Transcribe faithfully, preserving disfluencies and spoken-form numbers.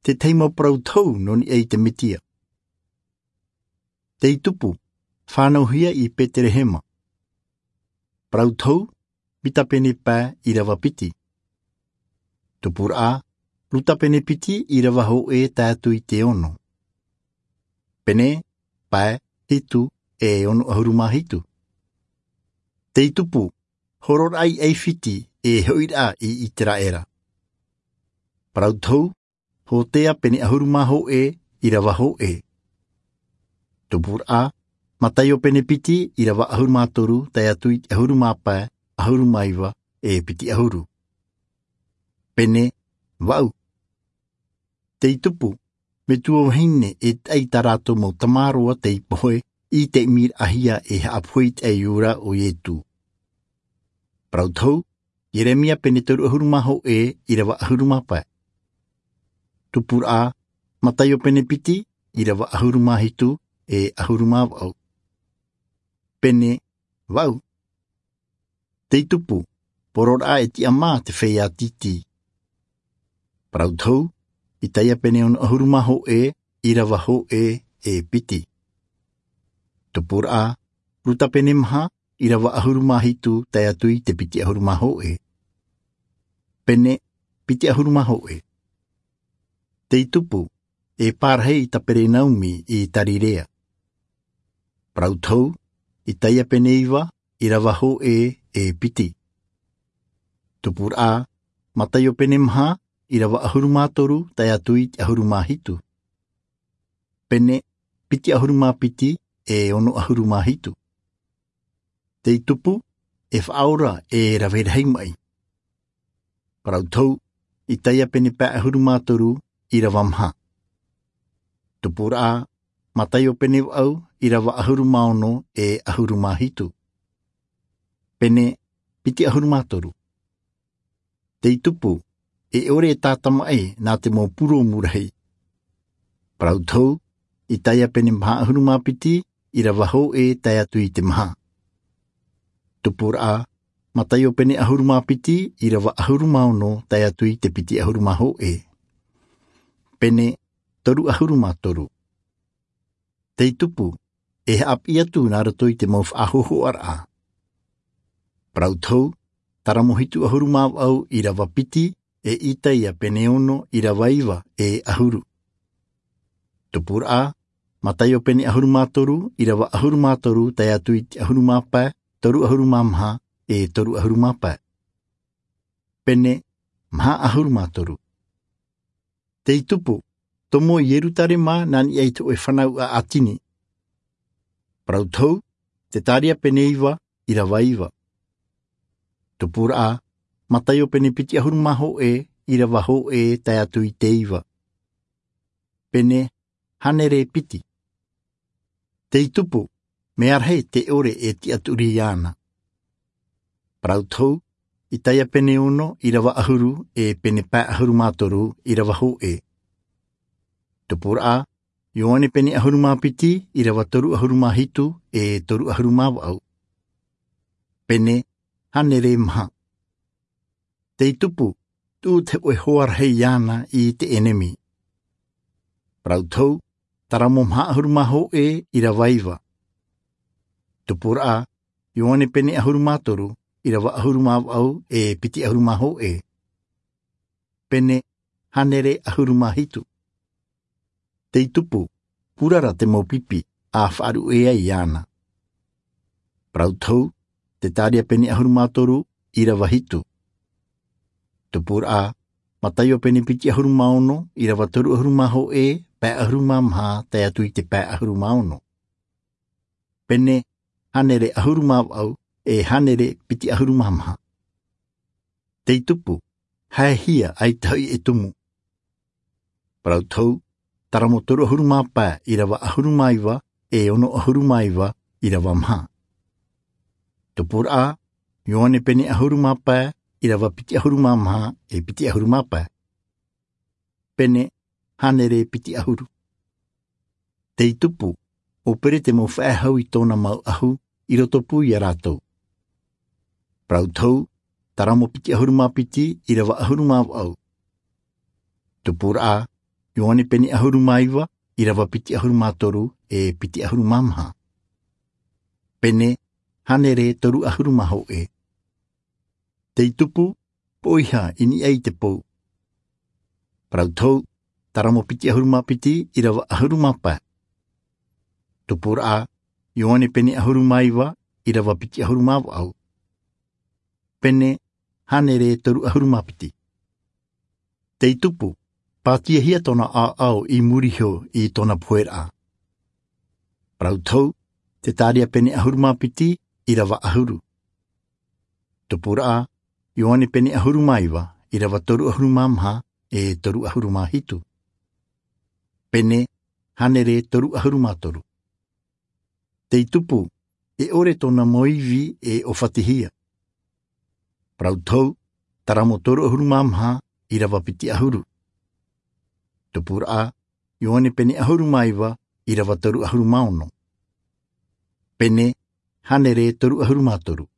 Te tahi mau parau tohu nō niʻa i te Mesia. Tei tupu, fānauhia i Peterehema. Parau tohu, mita pene pae ʻīrava piti. Tupuraʻa, ruta pene piti ʻīrava hōʻē tae atu i te ono. Pene, pae, hitu, e ono ʻahuru mā hitu. Tei tupu, hororaʻa i ʻAifiti e hoʻiraʻa i ʻĪteraʻera. Parau tohu, Hōtea pene ʻahuru mā hōʻē ʻīrava hōʻē. Tupuraʻa, Mataio pene piti ʻīrava ʻahuru mā toru tae atu i te ʻahuru mā pae, ʻahuru mā iva, e piti ʻahuru. Pene, vaʻu. Tei tupu, metua vahine e taʻa i tā rātou mau tamāroa tei pohe i te ʻimiraʻahia e haʻapohe i te ʻaiū ra ʻo Ietu. Parau tohu, Ieremia pene toru ʻahuru mā hōʻē ʻīrava ʻahuru mā pae. Tupuraʻa, Mataio pene piti ʻīrava ʻahuru mā hitu e ʻahuru mā vaʻu. Pene, vaʻu. Tei tupu, pororaʻa e tiʻamā te feiā tītī. Parau tohu, Itaia pene ono ʻahuru mā hōʻē ʻīrava hōʻē e piti. Tupuraʻa, Ruta pene maha ʻīrava ʻahuru mā hitu tae atu i te piti ʻahuru mā hōʻē. Pene, piti ʻahuru mā hōʻē. Tei tupu, e pārahi i Kaperenaumi i Kalileia. Parau tohu, Itaia pene iva ʻīrava hōʻē e piti. Tupuraʻa, Mataio pene maha ʻīrava ʻahuru mā toru tae atu i te ʻahuru mā hitu. Pene, piti ʻahuru mā piti e ono ʻahuru mā hitu. Tei tupu, e faʻaora e rave rahi maʻi. Parau tohu, Itaia pene pae ʻahuru mā toru ʻīrava maha. Tupuraʻa, Mataio pene vaʻu ʻīrava ʻahuru mā ono e ʻahuru mā hitu. Pene, piti ʻahuru mā toru. Tei tupu, e ʻore e tātamaʻi nā te mau purōmu rahi. Parau tohu, Itaia pene maha ʻahuru mā piti ʻīrava hōʻē tae atu i te maha. Tupuraʻa, Mataio pene ʻahuru mā piti ʻīrava ʻahuru mā ono tae atu i te piti ʻahuru mā hōʻē. Pene, toru ʻahuru mā toru. Tei tupu, e haʻapiʻi atu nā roto i te mau faʻahōhoʻaraʻa. Parau tohu, Taramo hitu ʻahuru mā vaʻu ʻīrava piti, e Itaia pene ono ʻīrava iva e ʻahuru. Tupuraʻa, Mataio pene ʻahuru mā toru ʻīrava ʻahuru mā toru tae atu i te ʻahuru mā pae, toru ʻahuru mā maha, e toru ʻahuru mā pae. Pene, maha ʻahuru mā toru. Tei tupu, tomo i Ierutarema nā niʻa i te hōʻē fānau ʻātini. Parau tohu, Tetaria pene iva ʻīrava iva. Tupuraʻa, Mataio pene piti ʻahuru mā hōʻē ʻīrava hōʻē tae atu i te iva. Pene, hānere piti. Tei tupu, mea rahi te ʻore e tiʻaturi iāna. Parau tohu, Itaia pene ono ʻīrava ʻahuru e pene pae ʻahuru mā toru ʻīrava hōʻē. Tupuraʻa, Ioane pene ʻahuru mā piti ʻīrava toru ʻahuru mā hitu e toru ʻahuru mā vaʻu. Pene, hānere maha. Tei tupu, tuʻu te hōʻē hoa rahi iāna i te ʻenemi. Parau tohu, Taramo maha ʻahuru mā hōʻē ʻīrava iva. Tupuraʻa, Ioane pene ʻahuru mā toru ʻīrava ʻahuru mā vaʻu e piti ʻahuru mā hōʻē. Pene, hānere ʻahuru mā hitu. Tei tupu, purara te mau pipi, ʻa faʻaruʻe ai iāna. Parau tohu, Tetaria pene ʻahuru mā toru ʻīrava hitu. Tupuraʻa, Mataio pene piti ʻahuru mā ono ʻīrava toru ʻahuru mā hōʻē, pae ʻahuru mā maha tae atu i te pae ʻahuru mā ono. Pene, hānere ʻahuru mā vaʻu e hānere piti ʻahuru mā maha. Tei tupu, haehia ʻaita hoʻi e tumu. Parau tohu, Taramo toru ʻahuru mā pae ʻīrava ʻahuru mā iva e ono ʻahuru mā iva ʻīrava maha. Tupuraʻa, Ioane pene ʻahuru mā pae ʻīrava piti ʻahuru mā maha e piti ʻahuru mā pae. Pene, hānere piti ʻahuru. Tei tupu, ʻo pere te mau faʻehau i tōna mau ʻahu i rotopū iā rātou. Parau tohu, Taramo piti ʻahuru mā piti ʻīrava ʻahuru mā vaʻu. Tupuraʻa, Ioane pene ʻahuru mā iva, ʻīrava piti ʻahuru mā toru e piti ʻahuru mā maha. Pene hānere toru ʻahuru mā hōʻē. Tei tupu, poʻiha i niʻa i te pou. Parau tohu, taramo piti ʻahuru mā piti, ʻīrava ʻahuru mā pae. Tupuraʻa, Ioane pene ʻahuru mā iva, ʻīrava piti ʻahuru mā vaʻu. Pene hānere toru ʻahuru mā piti. Tei tupu, pātiahia tōna ʻāʻau i muri iho i tōna poheraʻa. Parau tohu, Zekaria pene ʻahuru mā piti, ʻīrava ʻahuru. Tupuraʻa, Ioane pene ʻahuru mā iva, ʻīrava toru ʻahuru mā maha e toru ʻahuru mā hitu. Pene hānere toru ʻahuru mā toru. Tei tupu, e ʻore tōna mau ivi e ʻōfatihia. Parau tohu, taramo toru ʻahuru mā maha, ʻīrava piti ʻahuru. Tupuraʻa, Ioane pene ʻahuru mā iva, ʻīrava toru ʻahuru mā ono. Pene hānere toru ʻahuru mā toru.